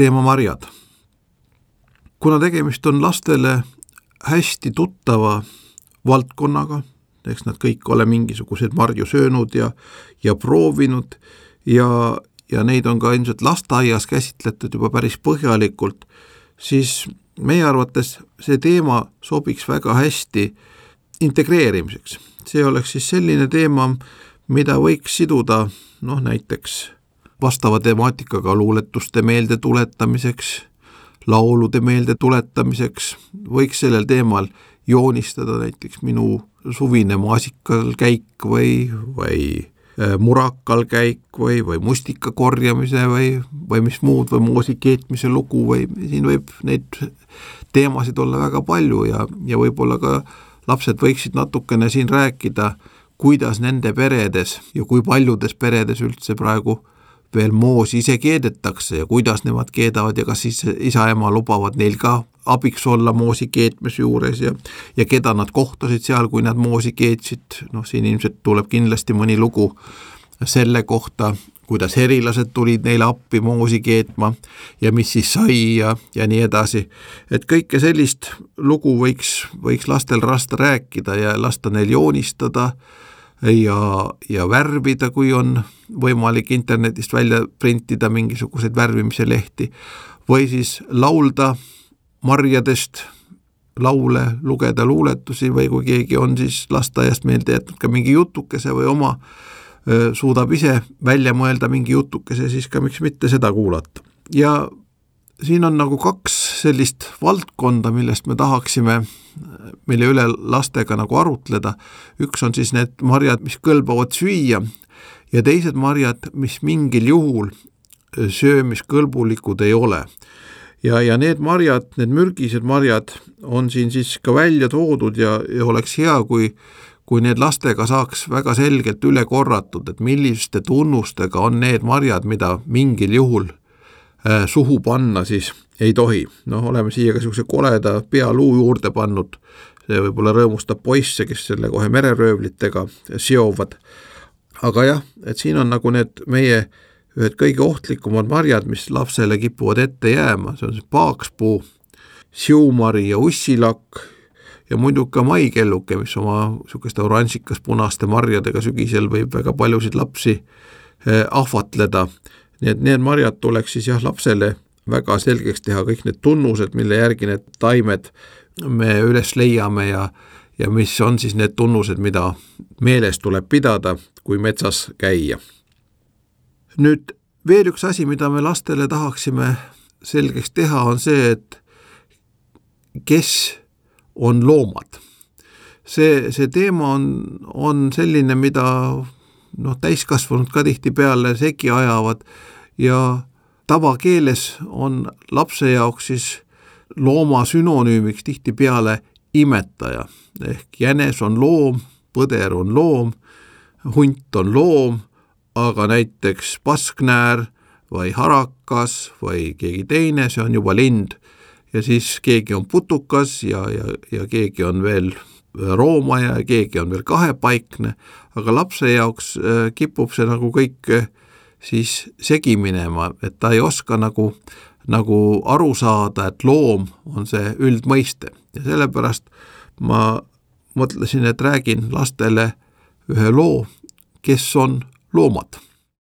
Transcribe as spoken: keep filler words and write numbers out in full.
teema marjad. Kuna tegemist on lastele hästi tuttava valdkonnaga, eks nad kõik ole mingisugused marju söönud ja, ja proovinud ja, ja neid on ka ilmselt lasteaias käsitletud juba päris põhjalikult, siis meie arvates see teema sobiks väga hästi integreerimiseks. See oleks siis selline teema, mida võiks siduda noh, näiteks vastava temaatikaga luuletuste meelde tuletamiseks, laulude meelde tuletamiseks, võiks sellel teemal joonistada näiteks minu suvine maasikal käik või, või murakal käik või, või mustika korjamise või, või mis muud või moosi keetmise lugu või siin võib neid teemasid olla väga palju ja, ja võib-olla ka lapsed võiksid natukene siin rääkida, kuidas nende peredes ja kui paljudes peredes üldse praegu veel moosi ise keedetakse ja kuidas nemad keedavad ja kas siis isa-ema lubavad neil ka abiks olla moosi keetmise juures ja, ja keda nad kohtasid seal, kui nad moosi keetsid. Noh, siin ilmselt tuleb kindlasti mõni lugu selle kohta, kuidas herilased tulid neile appi moosi keetma ja mis siis sai ja, ja nii edasi. Et kõike sellist lugu võiks, võiks lastel rasta rääkida ja lasta neil joonistada ja, ja värvida, kui on võimalik internetist välja printida mingisuguseid värvimise lehti või siis laulda marjadest laule, lugeda luuletusi või kui keegi on siis lasteaiast meelde jätnud ka mingi jutukese või oma öö, suudab ise välja mõelda mingi jutukese, siis ka miks mitte seda kuulata. Ja siin on nagu kaks sellist valdkonda, millest me tahaksime, mille üle lastega nagu arutleda. Üks on siis need marjad, mis kõlbavad süüa ja teised marjad, mis mingil juhul söömiskõlbulikud ei ole. Ja, ja need marjad, need mürgised marjad on siin siis ka välja toodud ja, ja oleks hea, kui, kui need lastega saaks väga selgelt üle korratud, et milliste tunnustega on need marjad, mida mingil juhul äh, suhu panna siis ei tohi. Noh, oleme siia ka sellise koleda pealuu juurde pannud, see võib-olla rõõmustab poisse, kes selle kohe mereröövlitega seovad. Aga jah, et siin on nagu need meie ühed kõige ohtlikumad marjad, mis lapsele kipuvad ette jääma, see on see paakspuu, siumari ja ussilakk ja muidu ka maikelluke, mis oma sukeste oranžikas punaste marjadega sügisel võib väga paljusid lapsi ahvatleda. Nii et need marjad tuleks siis jah lapsele väga selgeks teha kõik need tunnused, mille järgi need taimed me üles leiame ja, ja mis on siis need tunnused, mida meeles tuleb pidada, kui metsas käia. Nüüd veel üks asi, mida me lastele tahaksime selgeks teha, on see, et kes on loomad. See, see teema on, on selline, mida noh, täiskasvanud ka tihti peale segi ajavad ja tavakeeles on lapse jaoks siis looma sünonüümiks tihti peale imetaja. Ehk jänes on loom, põder on loom, hunt on loom, aga näiteks pasknäär või harakas või keegi teine, see on juba lind ja siis keegi on putukas ja, ja, ja keegi on veel roomaja ja keegi on veel kahepaikne, aga lapse jaoks kipub see nagu kõik siis segi minema, et ta ei oska nagu, nagu aru saada, et loom on see üldmõiste ja sellepärast ma mõtlesin, et räägin lastele ühe loo, kes on loomad.